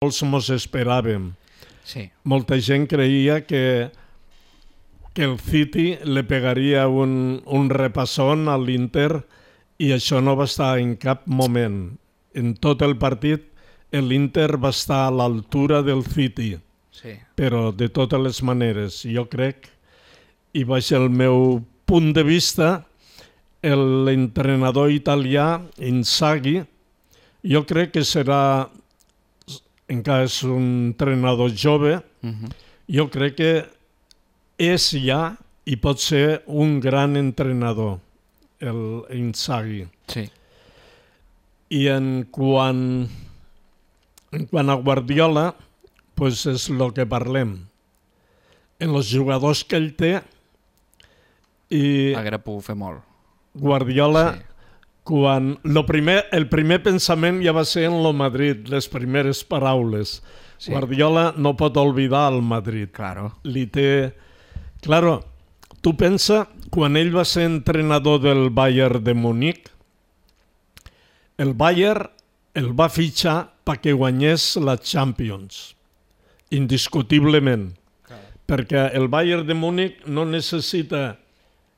molts mos esperàvem. Sí. Molta gent creia que el City le pegaria un repassón a l'Inter i això no va estar en cap moment. En tot el partit l'Inter va estar a l'altura del City, Sí. però de totes les maneres. Jo crec, i baix el meu punt de vista, l'entrenador italià, Inzaghi, jo crec que serà, encara és un entrenador jove, jo crec que és ja i pot ser un gran entrenador, l'Inzaghi. Sí. I en quant a Guardiola, pues és el que parlem. En els jugadors que ell té, i Haguera pogut fer molt. Guardiola, Sí. el primer pensament ja va ser en el Madrid, les primeres paraules. Sí. Guardiola no pot oblidar el Madrid. Claro. Li té... Claro, tu pensa, quan ell va ser entrenador del Bayern de Múnich, el Bayern el va fitxar perquè guanyés la Champions, indiscutiblement. Perquè el Bayern de Múnich no necessita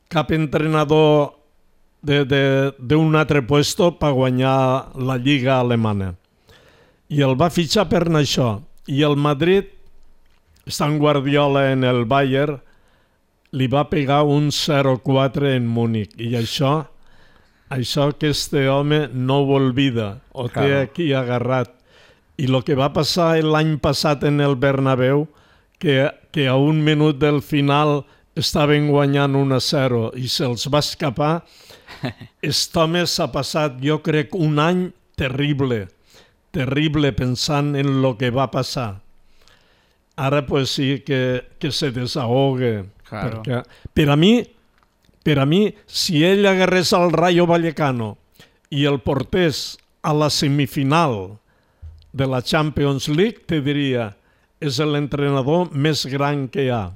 cap entrenador d'un altre puesto per guanyar la Lliga alemana. I el va fitxar per això. I el Madrid, estant Guardiola en el Bayern, li va pegar un 0-4 en Múnich. I això que este home no ho olvida, ho té aquí agarrat. I el que va passar l'any passat en el Bernabéu, que a un minut del final estaven guanyant 1-0 i se'ls va escapar, aquest home s'ha passat, jo crec, un any terrible pensant en el que va passar. Ara pues sí que se desahogue. Claro. Perquè, per a mi, si ell agarrés al Rayo Vallecano i el portés a la semifinal de la Champions League, te diria, és l'entrenador més gran que hi ha.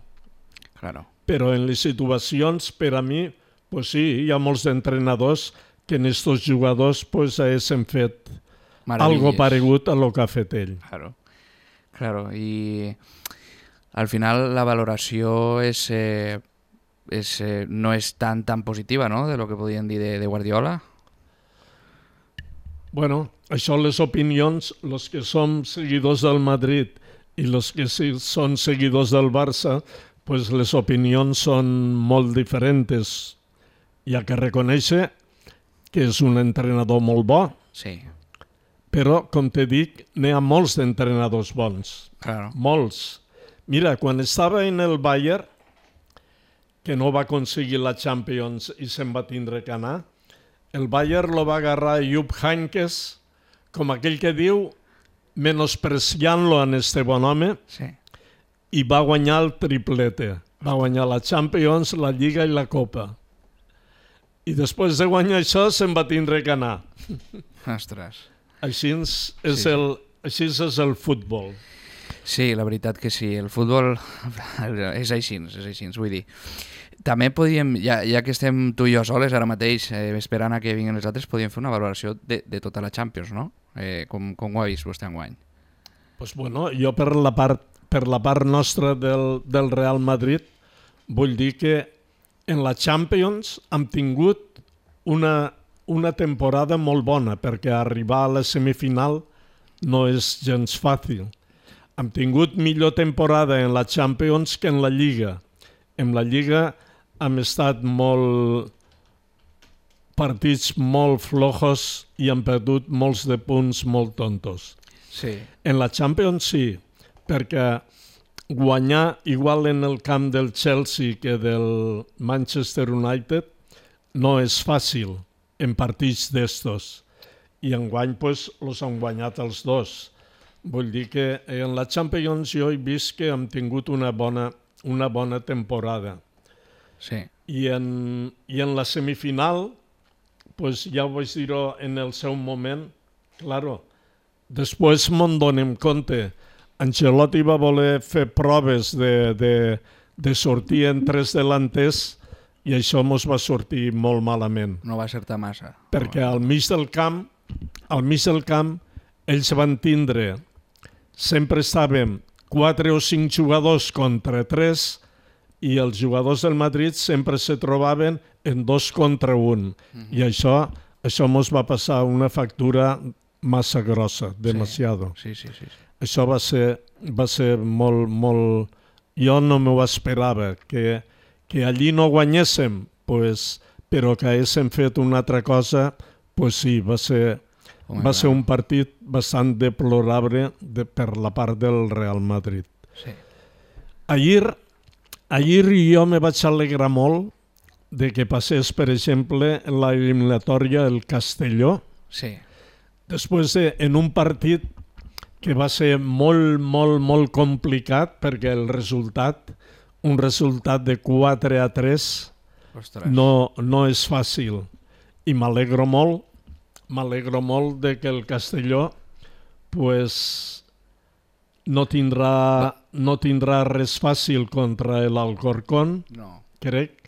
Claro. Però en les situacions, per a mi, pues sí, hi ha molts entrenadors que en estos jugadors pues haguessin fet algo paregut a lo que ha fet ell. Claro. I al final la valoració no és tan positiva, no?, de lo que podien dir de Guardiola. Bueno, això les opinions, els que som seguidors del Madrid i els que són seguidors del Barça, pues les opinions són molt diferents. Hi ha que reconèixer que és un entrenador molt bo, Sí. però, com te dic, n'hi ha molts d'entrenadors bons. Claro. Molts. Mira, quan estava en el Bayern, que no va aconseguir la Champions i se'n va tindre que anar, el Bayern lo va agarrar Jupp Heynckes, com aquell que diu, menospreciant-lo en este bon home, Sí. i va guanyar el triplete. Va guanyar la Champions, la Lliga i la Copa. I després de guanyar això se'n va tindre que anar. Ostres. Així és el futbol. Sí, la veritat que sí. El futbol és així, vull dir. També podríem, ja que estem tu i jo soles ara mateix, esperant a que vinguin els altres, podríem fer una valoració de tota la Champions, no? Com ho ha vist vostè enguany? Pues bueno, jo per la part nostra del Real Madrid vull dir que en la Champions hem tingut una temporada molt bona, perquè arribar a la semifinal no és gens fàcil. Hem tingut millor temporada en la Champions que en la Lliga. En la Lliga hem estat partits molt flojos i hem perdut molts de punts molt tontos. Sí. En la Champions sí, perquè guanyar igual en el camp del Chelsea que del Manchester United no és fàcil en partits d'estos. I enguany pues, els han guanyat els dos. Vull dir que en la Champions jo he vist que hem tingut una bona temporada. Sí. I en la semifinal, pues ja ho vaig dir-ho en el seu moment, claro, després me'n donem compte. Ancelotti va voler fer proves de sortir en tres delanters i això ens va sortir molt malament. No va acertar massa. Perquè al mig del camp ells van tindre sempre estàvem 4 o 5 jugadors contra 3 i els jugadors del Madrid sempre se trobaven en 2 contra 1. I això mos va passar una factura massa grossa, demasiado. Sí. Això va ser molt... Jo no m'ho esperava, que allí no guanyéssim, pues, però que haguéssim fet una altra cosa, pues sí, va ser un partit bastant deplorable per la part del Real Madrid. Sí. Ahir jo me vaig alegrar molt de que passés, per exemple, la eliminatòria el Castelló. Sí. Després en un partit que va ser molt complicat perquè un resultat de 4-3 no és fàcil. I m'alegro molt de que el Castelló pues, no tindrà res fàcil contra l'Alcorcón, crec,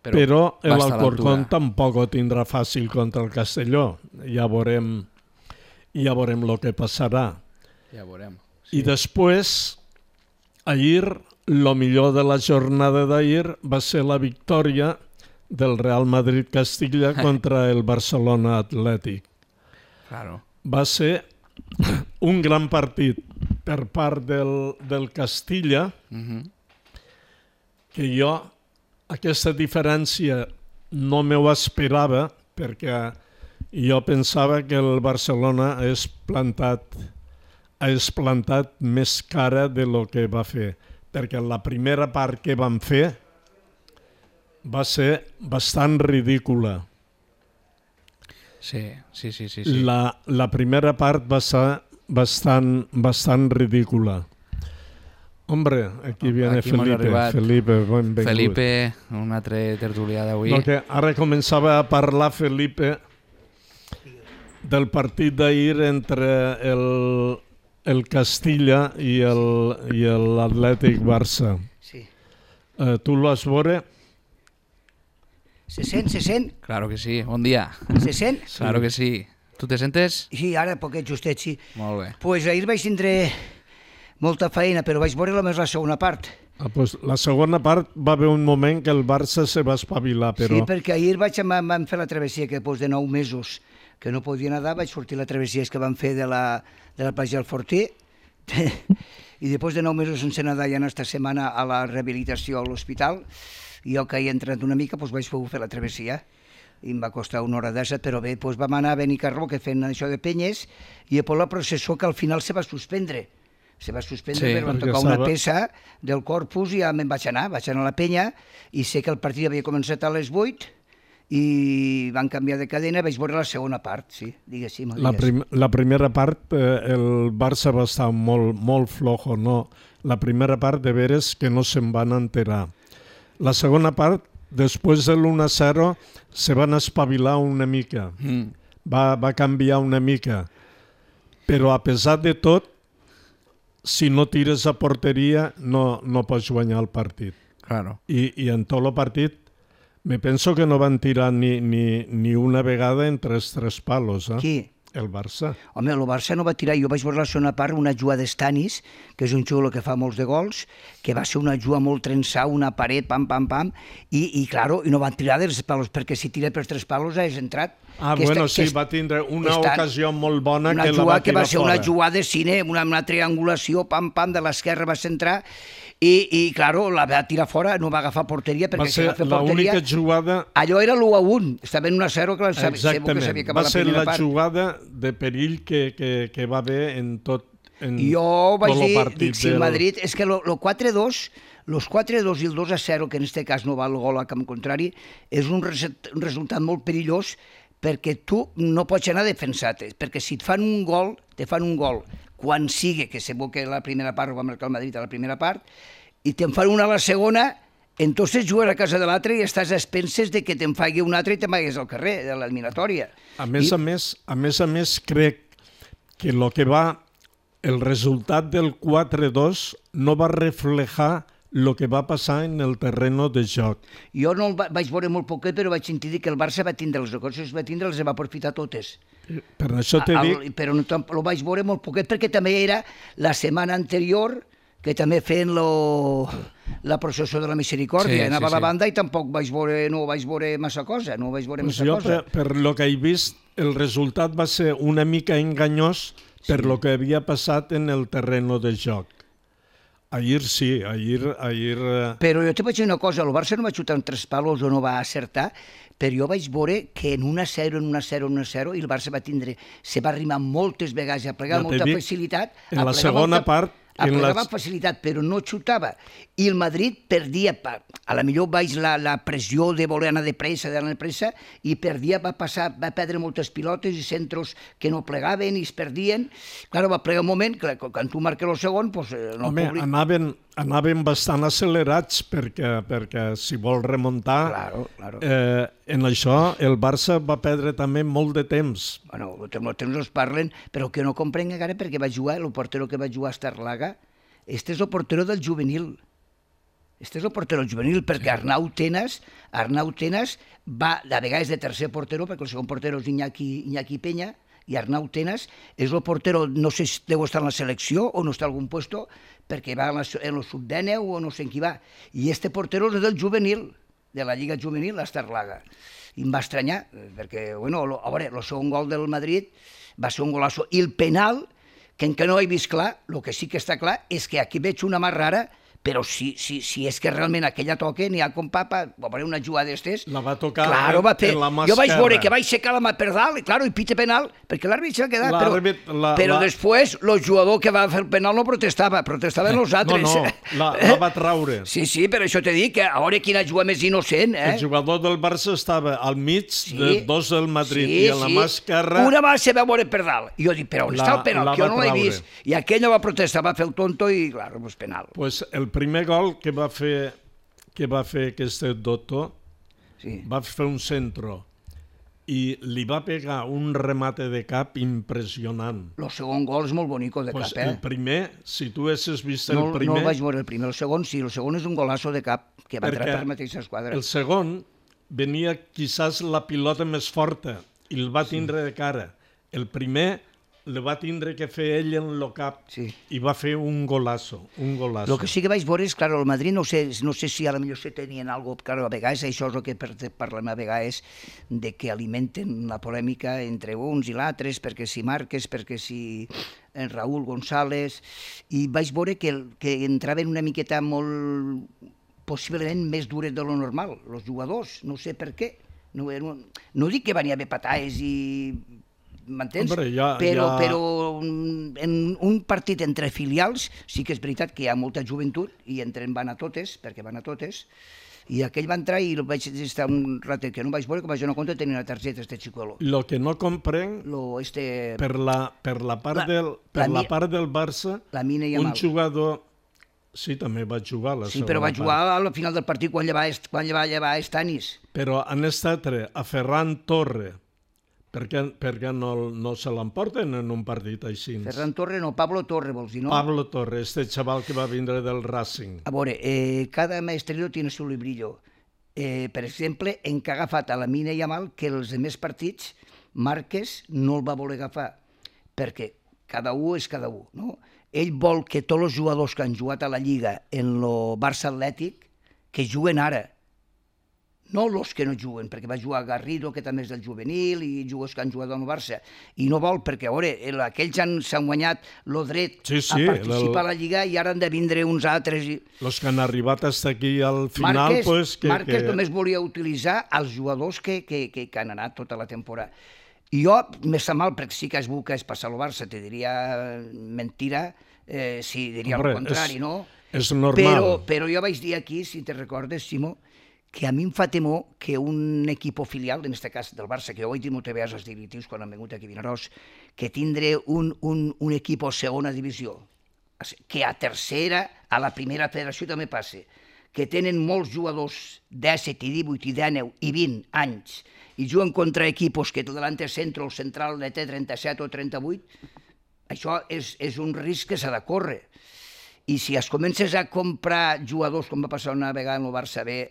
però l'Alcorcón tampoc ho tindrà fàcil contra el Castelló. Ja veurem el que passarà. Ja veurem. Sí. I després, ahir, el millor de la jornada d'ahir va ser la victòria del Real Madrid-Castilla contra el Barcelona Atlètic. Claro. Va ser un gran partit per part del Castilla, que jo aquesta diferència no m'ho esperava, perquè jo pensava que el Barcelona hagués plantat més cara de lo que va fer, perquè la primera part que van fer va ser bastant ridícula. Sí. La primera part va ser bastant ridícula. Hombre, aquí viene Felipe, benvingut. Felipe, un altre tertulià d'avui. No, que ara començava a parlar Felipe del partit d'ahir entre el Castilla i l'Atlètic Barça. Sí. Tu lo has veure? Se sent? Claro que sí, bon dia. Se sent? Sí. Claro que sí. Tu te sentes? Sí, ara poquet justet, sí. Molt bé. Pues ahir vaig tindre molta feina, però vaig veure només la segona part. Pues la segona part va haver un moment que el Barça se va espavilar, però... Sí, perquè ahir vam fer la travessia que després de 9 mesos que no podia nedar, vaig sortir la travessia que vam fer de la platja del Fortí i després de 9 mesos sense nedar i anar esta setmana a la rehabilitació a l'hospital, jo que he entrat una mica vaig poder fer la travessia i em va costar 1 hora d'esa, però bé, vam anar a Benicarló que fent això de penyes i després la processó que al final se va suspendre. Se va suspendre sí, per tocar una peça del corpus i ja me'n vaig anar a la penya i sé que el partit havia començat a les 8 i van canviar de cadena, vaig veure la segona part, sí, diguéssim. La primera part, el Barça va estar molt flojo, no? La primera part, de veres, que no se'n van enterar. La segona part, després de l'1-0, se van espavilar una mica. Va canviar una mica. Però a pesar de tot, si no tires a porteria, no pots guanyar el partit. Claro. I en tot el partit, me penso que no van tirar ni una vegada entre els 3 palos. Qui? El Barça. Home, el Barça no va tirar. Jo vaig veure la segona part una jugada d'Estanis, que és un xulo que fa molts de gols, que va ser una jugada molt trençada, una paret, pam, i claro, i no van tirar dels palos, perquè si tira pels 3 palos has entrat. Va tindre una ocasió molt bona que la va tirar fora. Que va ser una jugada de cine, una triangulació, pam, de l'esquerra va centrar, i claro, la va tirar fora, no va agafar porteria, perquè si va fer porteria... L'única jugada... Allò era l'1-1, estava en 1-0, que exactament, va ser la jugada de perill que va haver en tot jo vaig dir, si el Madrid, és que el 4-2, los 4-2 i el 2-0, que en aquest cas no va el gol a camp contrari, és un resultat molt perillós, perquè tu no pots anar defensat, perquè si et fan un gol, quan sigui, que segur que la primera part ho va marcar el Madrid a la primera part, i te'n fan una a la segona, entonces jugues a casa de l'altre i estàs a expenses de que te'n faci un altre i te'n vagis al carrer, de l'eliminatòria. A més a més, crec que el resultat del 4-2 no va reflejar el que va passar en el terreno de joc. Jo no el vaig veure molt poquet, però vaig sentir que el Barça va tindre les ocasions, els va aprofitar totes. Per això t'he dit... Però no, el vaig veure molt poquet, perquè també era la setmana anterior que també feien la processó de la misericòrdia. Anava a la banda i tampoc no vaig veure massa cosa. Jo, per lo que he vist, el resultat va ser una mica enganyós per lo que havia passat en el terreno de joc. Ahir sí, ahir... Però jo te vaig dir una cosa, el Barça no va xutar en 3 palos o no va acertar, però jo vaig veure que en 1-0, i el Barça se va arrimar moltes vegades a plegar amb molta facilitat. En la segona part... Aplegava amb facilitat, però no xutava. I el Madrid perdia, a la millor baix la pressió de voler anar de pressa, i perdia, va perdre moltes pilotes i centros que no plegaven i es perdien. Clar, va plegar un moment, que quan tu marques el segon, no el públic... Anaven bastant accelerats perquè si vol remuntar, en això el Barça va perdre també molt de temps. Bueno, el temps es parlen, però que no comprenc encara perquè va jugar, el portero que va jugar a Estarlaga, este és el portero del juvenil. Perquè Arnau Tenas va de vegades de tercer portero, perquè el segon portero és Iñaki Peña, i Arnau Tenas és el portero, no sé si deu estar en la selecció o no està en algun puesto, perquè va en el sub-19 o no sé en qui va. I este portero és del juvenil, de la Lliga Juvenil, l'Estarlaga. I em va estranyar, perquè, bueno, a veure, el segon gol del Madrid va ser un golasso. I el penal, que encara no he vist clar, el que sí que està clar és que aquí veig una mà rara, però si és que realment aquella toca, n'hi ha com papa, va haver una jugada d'estes... La va tocar en la mà esquerra. Jo vaig veure que vaig aixecar la mà per dalt, i pita penal, perquè l'àrbit s'ha quedat, però després el jugador que va fer el penal no protestaven els altres. No, la va traure. Sí, per això t'he dit que a veure quina jugada més innocent. El jugador del Barça estava al mig de dos del Madrid i a la mà esquerra... Una mà se va veure per dalt. I jo dic, però on està el penal? Que jo no l'he vist. I aquell no va protestar, va fer el tonto i, clar, pues penal. Pues el primer gol que va fer aquest doctor, va fer un centro i li va pegar un remate de cap impressionant. El segon gol és molt bonico de cap, El primer, si tu haguessis vist el primer... No el vaig veure el primer, el segon sí, el segon és un golasso de cap que va entrar per la mateixa esquadra. El segon venia quizás la pilota més forta i el va tindre de cara. El primer le va tindre que fer ell en el cap i va fer un golasso. El que sí que vaig veure és, clar, el Madrid no sé si a la millor se tenien alguna cosa, a vegades això és el que parlem a vegades, de que alimenten la polèmica entre uns i l'altres, perquè si Márquez, perquè si en Raúl González, i vaig veure que entraven una miqueta molt, possiblement més dures de lo normal, els jugadors, no sé per què. No dic que van haver patades i... m'entens? Però en un partit entre filials sí que és veritat que hi ha molta joventut i van a totes, perquè van a totes, i aquell va entrar i vaig estar un ratet que no vaig veure, que vaig donar compte tenia una targeta, este xicuelo. Lo que no comprenc, per la part del Barça, un jugador... Sí, també va jugar a la segona part. Sí, però va jugar al final del partit quan llevava Stanis. Però en estat a Ferran Torre, perquè no se l'emporten en un partit així. Ferran Torre no, Pablo Torre vols dir, no? Pablo Torre, este xaval que va vindre del Racing. A veure, cada maestrero tiene su librillo. Per exemple, en que ha agafat a la Mina Yamal que els demés partits Márquez no el va voler agafar, perquè cada un és cada un, no? Ell vol que tots els jugadors que han jugat a la Lliga en el Barça Atlètic que juguen ara, no els que no juguen, perquè va jugar Garrido, que també és del juvenil, i jugadors que han jugat al Barça, i no vol, perquè, a veure, aquells s'han guanyat el dret a participar a la Lliga i ara han de vindre uns altres. Els que han arribat fins aquí al final... Márquez només volia utilitzar els jugadors que han anat tota la temporada. I jo me sap mal, perquè sí que es busca passar al Barça, te diria mentira, sí, diria el contrari, no? És normal. Però jo vaig dir aquí, si te recordes, Simó, que a mi em fa temor que un equip filial, en aquest cas del Barça, que jo ho he dit moltes vegades als directivos quan han vingut aquí a Vinaròs, que tindre un equip a segona divisió, que a tercera, a la primera federació també passa, que tenen molts jugadors 17, 18, 19 i 20 anys i juguen contra equipos que el delante centro, el central ne té 37 o 38, això és un risc que s'ha de córrer. I si es comences a comprar jugadors, com va passar una vegada en el Barça B,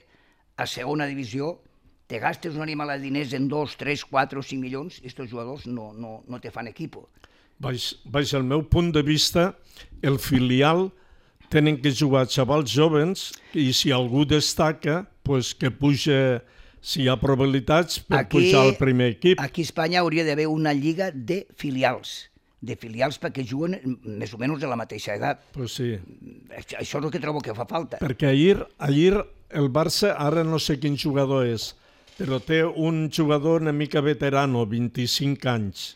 a segona divisió, te gastes un animal de diners en 2, 3, 4 o 5 milions, i aquests jugadors no te fan equipo. Baix el meu punt de vista, el filial tenen que jugar xavals jovens i si algú destaca, pues que puja, si hi ha probabilitats, per pujar al primer equip. Aquí a Espanya hauria d'haver una lliga de filials perquè juguen més o menys de la mateixa edat. Pues sí. Això és el que trobo que fa falta. Perquè ahir el Barça, ara no sé quin jugador és, però té un jugador una mica veterano, 25 anys.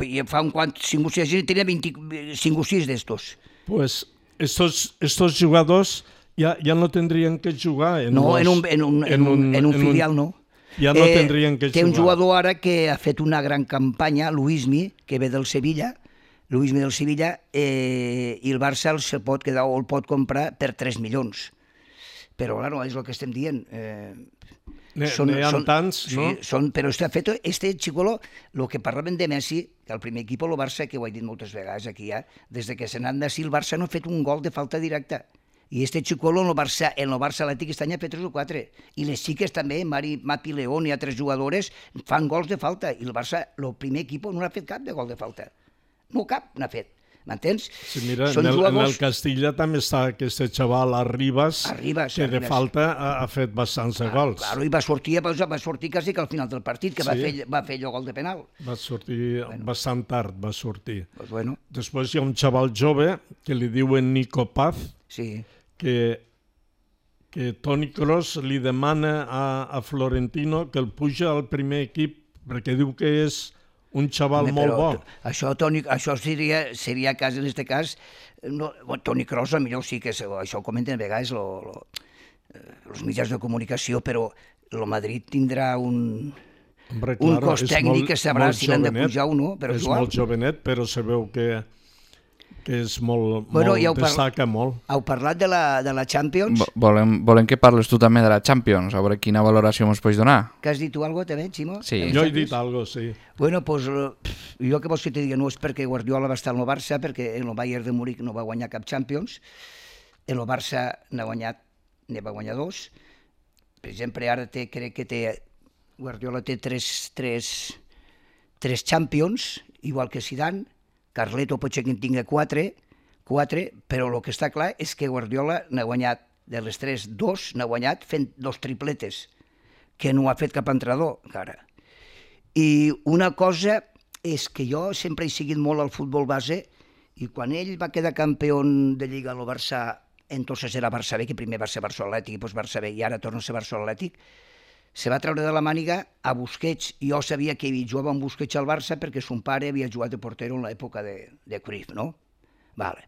I fa un quant, 5 o 6, tenia 5 o 6 d'estos. Pues estos jugadors ya no tendrían que jugar en un filial, no. Ja no tendrien que jugar. Té un jugador ara que ha fet una gran campanya, Luismi, que ve del Sevilla, i el Barça el pot quedar o el pot comprar per 3 milions. Però, clar, és el que estem dient. N'hi ha tants, no? Però este xicolo, el que parlaven de Messi, que el primer equip, el Barça, que ho he dit moltes vegades aquí ja, des que se n'han d'ací, el Barça no ha fet un gol de falta directa. I este xicolo en el Barça Atlètic aquest any ha fet 3 o 4. I les xiques també, Mapi León i altres jugadores, fan gols de falta. I el Barça, el primer equip, no ha fet cap de gol de falta. No cap n'ha fet. M'entens? Sí, mira, en el Castilla també està aquest xaval Arribas, que de falta ha fet bastants gols. Claro, i va sortir quasi que al final del partit, que va fer allò gol de penal. Va sortir bastant tard, va sortir. Pues bueno. Després hi ha un xaval jove que li diuen Nico Paz, que Toni Kroos li demana a Florentino que el puja al primer equip perquè diu que és un xaval molt bo. Això seria cas, en aquest cas, Toni Kroos, millor sí que això ho comenten a vegades els mitjans de comunicació, però el Madrid tindrà un cos tècnic que sabrà si l'han de pujar o no. És molt jovenet, però se veu que és destaca molt. Heu parlat de la Champions? Volem que parles tu també de la Champions, a veure quina valoració ens pots donar. Que has dit tu alguna cosa també, Ximo? Sí. Jo he dit alguna cosa, sí. Bueno, pues jo que vols que te digui, no és perquè Guardiola va estar en el Barça, perquè en el Bayern de Múnich no va guanyar cap Champions, en el Barça n'ha va guanyar 2. Per exemple, ara crec que Guardiola té 3 Champions, igual que Zidane. Carleto pot ser que en tingui 4, però el que està clar és que Guardiola n'ha guanyat, de les 3, 2 n'ha guanyat fent 2 tripletes, que no ha fet cap entrenador encara. I una cosa és que jo sempre he seguit molt el futbol base i quan ell va quedar campió de Lliga al Barça, entonces era Barça B, que primer va ser Barça Atlètic i després Barça B i ara torna a ser Barça Atlètic, se va treure de la màniga a Busquets. Jo sabia que ell jugava amb Busquets al Barça perquè son pare havia jugat de portero en l'època de Cruyff, no? Vale.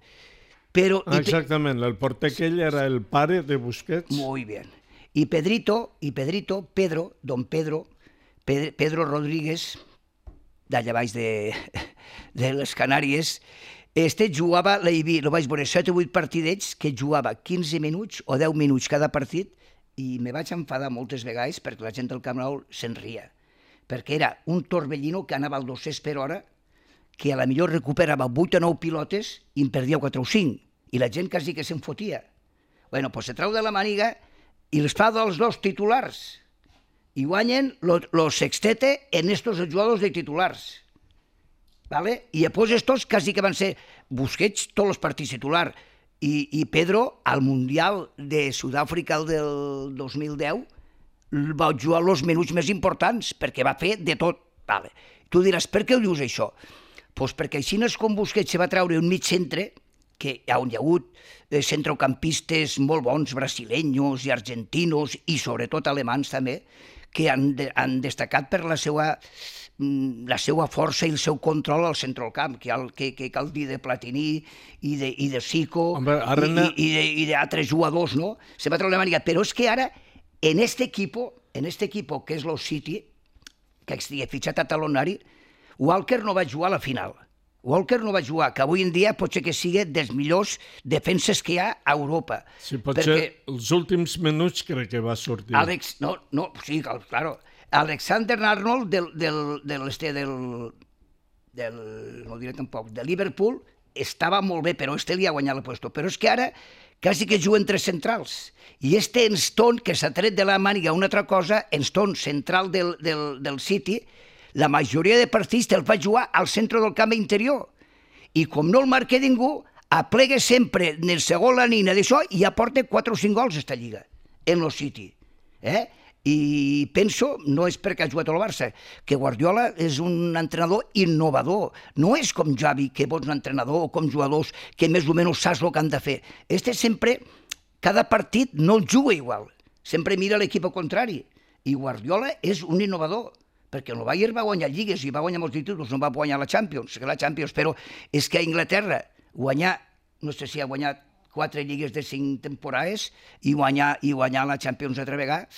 Però, exactament, el porter aquell era el pare de Busquets. Muy bien. I Pedro Rodríguez, d'allà baix de les Canàries, jugava, lo vaig veure 7 o 8 partidets, que jugava 15 minuts o 10 minuts cada partit, i me vaig enfadar moltes vegades perquè la gent del Camp Nou se'n ria, perquè era un torbellino que anava al 200 per hora, que a la millor recuperava 8 o 9 pilotes i en perdia 4 o 5, i la gent quasi que se'n fotia. Bueno, pues se trau de la màniga i els fa dels 2 titulars, i guanyen lo sextete en estos jugadors de titulars. ¿Vale? I després estos quasi que van ser Busquets tots els partits titulars, i Pedro, al Mundial de Sud-àfrica del 2010, va jugar els minuts més importants, perquè va fer de tot. Vale. Tu diràs, per què ho dius això? Pues perquè així no és com Busquets se va treure un mig centre, on hi ha hagut centrocampistes molt bons, brasileños i argentinos, i sobretot alemans també, que han destacat per la seva força i el seu control al centre del camp, que cal dir de Platini i de Zico i d'altres jugadors, no? Se va treure la màniga. Però és que ara, en este equipo, que és el City, que estigui fitxat a talonari, Walker no va jugar a la final. Walker no va jugar, que avui en dia pot ser que sigui dels millors defenses que hi ha a Europa. Sí, potser els últims minuts crec que va sortir. Sí, claro. Alexander Arnold no diré tampoc, de Liverpool, estava molt bé, però li ha guanyat el puesto. Però és que ara, quasi que juguen tres centrals. I Enston, que s'ha tret de la màniga una altra cosa, Enston, central del City, la majoria de partits te'l va jugar al centre del camp interior. I com no el marca ningú, aplega sempre en el segon la nina d'això i ja porta 4 o 5 gols esta lliga, en el City. I penso, no és perquè ha jugat al Barça, que Guardiola és un entrenador innovador. No és com Xavi, que vols un entrenador, o com jugadors que més o menys saps el que han de fer. Sempre, cada partit no el juga igual. Sempre mira l'equip contrari. I Guardiola és un innovador, perquè el Bayern va guanyar lligues i va guanyar molts títols, no va guanyar la Champions, però és que a Inglaterra guanyar, no sé si ha guanyat 4 lligues de 5 temporades i guanyar la Champions altra vegada,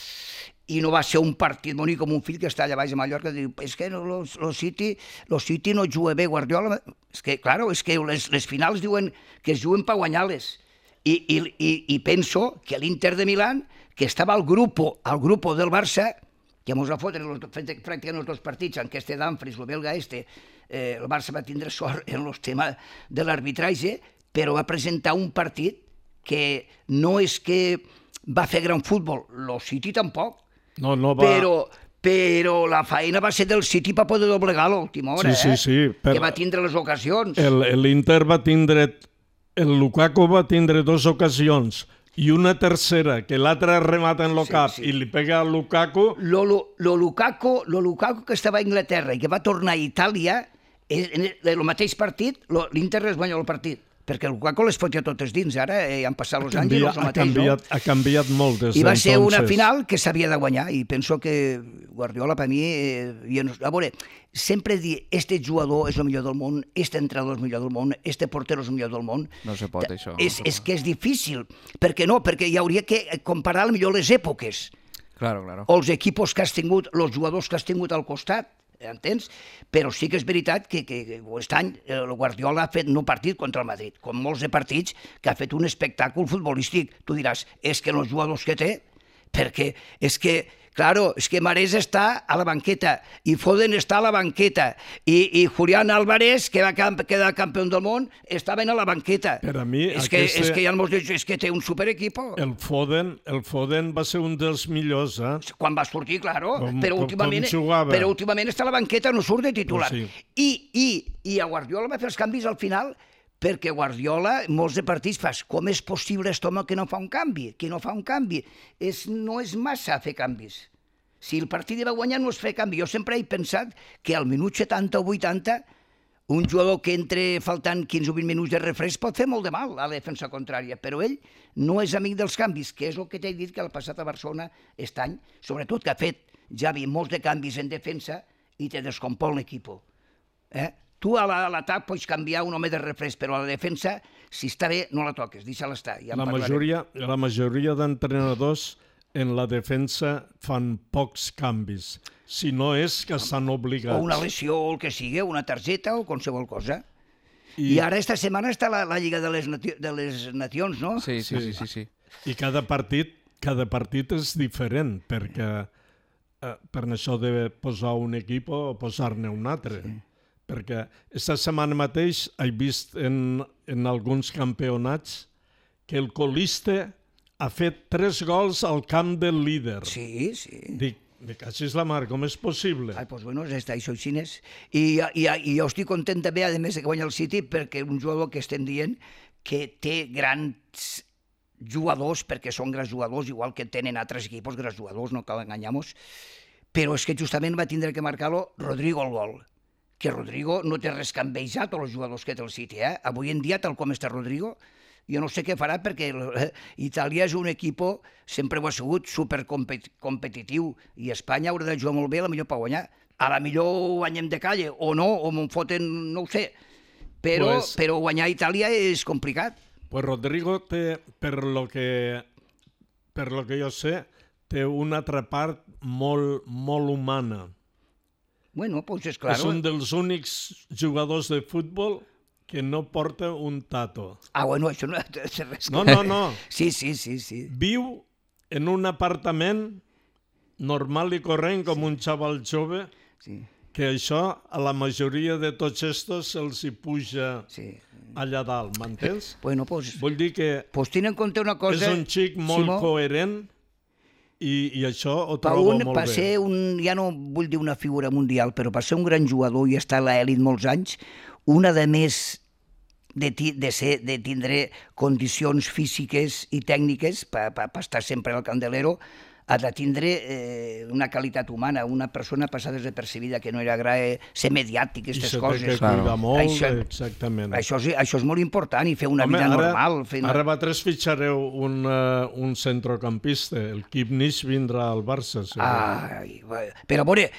i no va ser un partit bonic com un fill que està allà baix a Mallorca i diu, és que el City no juga bé, Guardiola. És que, claro, és que les finals diuen que es juguen per guanyar-les. I penso que l'Inter de Milán, que estava al grupo del Barça, que mos va fotre pràcticament els 2 partits, en què Dumfries, el belga el Barça va tindre sort en el tema de l'arbitratge, però va presentar un partit que no és que va fer gran futbol, el City tampoc, però la feina va ser del City per poder doblegar a l'última hora, que va tindre les ocasions. L'Inter va tindre, el Lukaku va tindre 2 ocasions, i una tercera, que l'altra remata en el cap i li pega a Lukaku. Lukaku que estava a Anglaterra i que va tornar a Itàlia, en el mateix partit, l'Inter es guanya el partit, perquè el Lukaku les fotia totes dins. Ara han passat els anys i no és el mateix. Ha canviat molt des d'entonces. I va ser una final que s'havia de guanyar, i penso que Guardiola, per mi, a veure, sempre dir, este jugador és el millor del món, este entrenador és el millor del món, este portero és el millor del món. No se pot, això. És que és difícil. Per què no? Perquè hi hauria que comparar millor les èpoques. Claro. O els equipos que has tingut, els jugadors que has tingut al costat, entens? Però sí que és veritat que aquest any el Guardiola ha fet no partit contra el Madrid, com molts de partits que ha fet un espectacle futbolístic. Tu diràs, és que els jugadors que té, perquè és que, claro, és que Marés està a la banqueta i Foden està a la banqueta i Julián Álvarez, que va quedar campió del món, estaven a la banqueta. Per a mi, és que ja ens dit, és que té un superequipo. El Foden va ser un dels millors, Quan va sortir, claro, però jugava. últimament està a la banqueta, no surt de titular. Sí. I a Guardiola va fer els canvis al final, perquè Guardiola, molts de partits fas, com és possible aquest home que no fa un canvi? No és massa fer canvis. Si el partit va guanyar no es fa canvi. Jo sempre he pensat que al minut 70 o 80 un jugador que entre faltant 15 o 20 minuts de refresc pot fer molt de mal a la defensa contrària, però ell no és amic dels canvis, que és el que t'he dit que ha passat a Barcelona aquest any, sobretot que ha fet Xavi molts de canvis en defensa i te descompon l'equip. Tu a l'atac pots canviar un home de refresc, però a la defensa, si està bé, no la toques, deixa-la estar. La majoria d'entrenadors en la defensa fan pocs canvis, si no és que estan obligats. O una lesió o el que sigui, una targeta o qualsevol cosa. I ara esta setmana està la Lliga de les Nacions, no? Sí. I cada partit és diferent, perquè per això de posar un equip o posar-ne un altre. Perquè aquesta setmana mateix he vist en alguns campionats que el colista ha fet 3 gols al camp del líder. Sí. Dic, així és la mar, com és possible? Doncs bueno, està això xinès. I jo estic content també, a més, que guanya el City, perquè un jugador que estem dient que té grans jugadors, perquè són grans jugadors, igual que tenen altres equipos grans jugadors, no cal enganyar-nos, però és que justament va tindre que marcar-lo Rodrigo el gol. Que Rodrigo no té res que envejar tots els jugadors que té el City. Avui en dia, tal com està Rodrigo, jo no sé què farà, perquè Itàlia és un equip, sempre ho ha sigut, supercompetitiu, i Espanya haurà de jugar molt bé, a la millor per guanyar. A la millor guanyem de calle, o no, o me'n foten, no ho sé. Però guanyar Itàlia és complicat. Pues Rodrigo té, per lo que jo sé, té una altra part molt humana. Bueno, doncs és clar. És un dels únics jugadors de futbol que no porta un tato. Bueno, això no té res. No. Sí. Viu en un apartament normal i corrent com un xaval jove que això a la majoria de tots estos se'ls hi puja allà dalt, m'entens? Bueno, pues, Vull dir que ten en compte una cosa... és un xic molt Simó, coherent i això ho trobo molt per bé. ser ja no vull dir una figura mundial, però per ser un gran jugador i estar a l'elit molts anys, una de més de tindre condicions físiques i tècniques per estar sempre al candelero, ha de tindre una qualitat humana, una persona passada desapercebida, que no era agrada ser mediàtic, aquestes coses. I se té que cuidar molt, exactament. Això és molt important, i fer una vida normal. Ara vosaltres fitxareu un centrocampista, el Kipnis vindrà al Barça. Però a veure,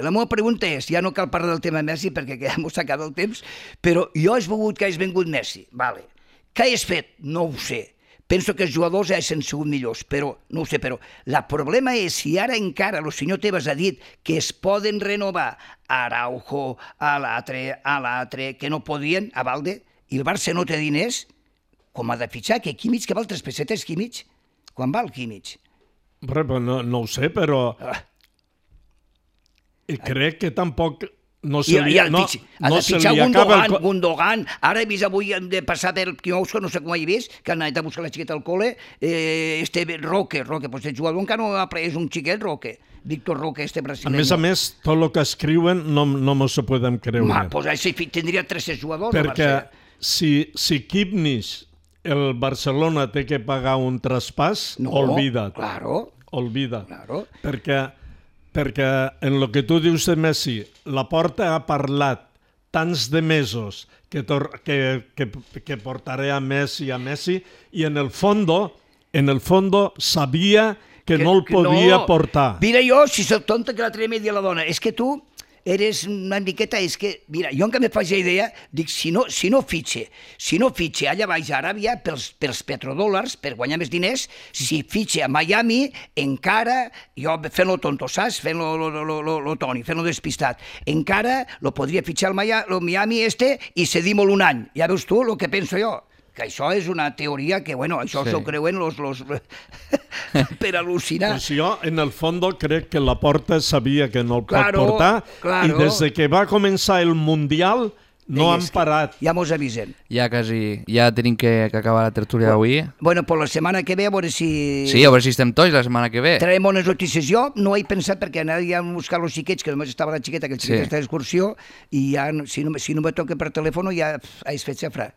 la meva pregunta és, ja no cal parlar del tema Messi perquè ja m'ho s'ha acabat el temps, però jo he volgut que hagi vingut Messi, vale. Què has fet? No ho sé. Penso que els jugadors hagin sigut millors, però no ho sé, però el problema és si ara encara el senyor Tebas ha dit que es poden renovar Araujo, a l'altre, que no podien, a Valde, i el Barça no té diners, com ha de fitxar, que Kimmich, que val 3 pessetes, Kimmich? Quan val Kimmich? No ho sé, però crec que tampoc... No se li acaba Gundogan. Ara he vist avui de passar per Quiosco, no sé com ho he vist, que han anat a buscar la xiqueta al col·le, Roque, doncs el jugador encara no és un xiquet, Roque, Víctor Roque, brasileño. A més, tot el que escriuen no m'ho se podem creure. Doncs així tindria 3 jugadors. Perquè si Kipnis, el Barcelona té que pagar un traspàs, olvida't. Olvida. Perquè en el que tu dius de Messi, la Porta ha parlat tants de mesos que portaré a Messi, i en el fondo sabia que no el podia portar. Mira, jo, si soc tonta, que l'altre dia m'he dit a la dona, és que tu eres una miqueta, és que, mira, jo encara me faig la idea, dic, si no fitxe allà baix a Aràbia pels petrodòlars, per guanyar més diners, si fitxe a Miami, encara, jo fent-lo tonto, saps? Fent-lo Toni, fent-lo despistat, encara lo podria fitxar al Miami i cedir-me'l un any. Ja veus tu el que penso jo? Que això és una teoria que, bueno, això s'ho creuen los per al·lucinar. Pues jo, en el fons, crec que la Porta sabia que no el pot portar, i des que va començar el Mundial no han parat. Ja mos avisen. Ja tenim que acabar la tertúlia d'avui. Bueno, pues la setmana que ve, a veure si... Sí, a veure si estem tots la setmana que ve. Traiem bones notícies. Jo no he pensat perquè anaria a buscar els xiquets, que només estava la xiqueta, que el xiquet està d'excursió, i ja, si no me toca per telèfon, ja has fet xafrar.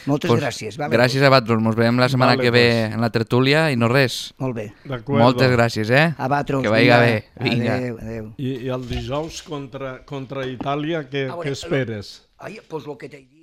Moltes gràcies. Gràcies a vosaltres. Ens veiem la setmana que ve en la tertúlia i no res. Molt bé. Moltes gràcies, A vosaltres. Que vagi bé. Adéu. I el dijous contra Itàlia, què esperes? Pues el que t'he dit...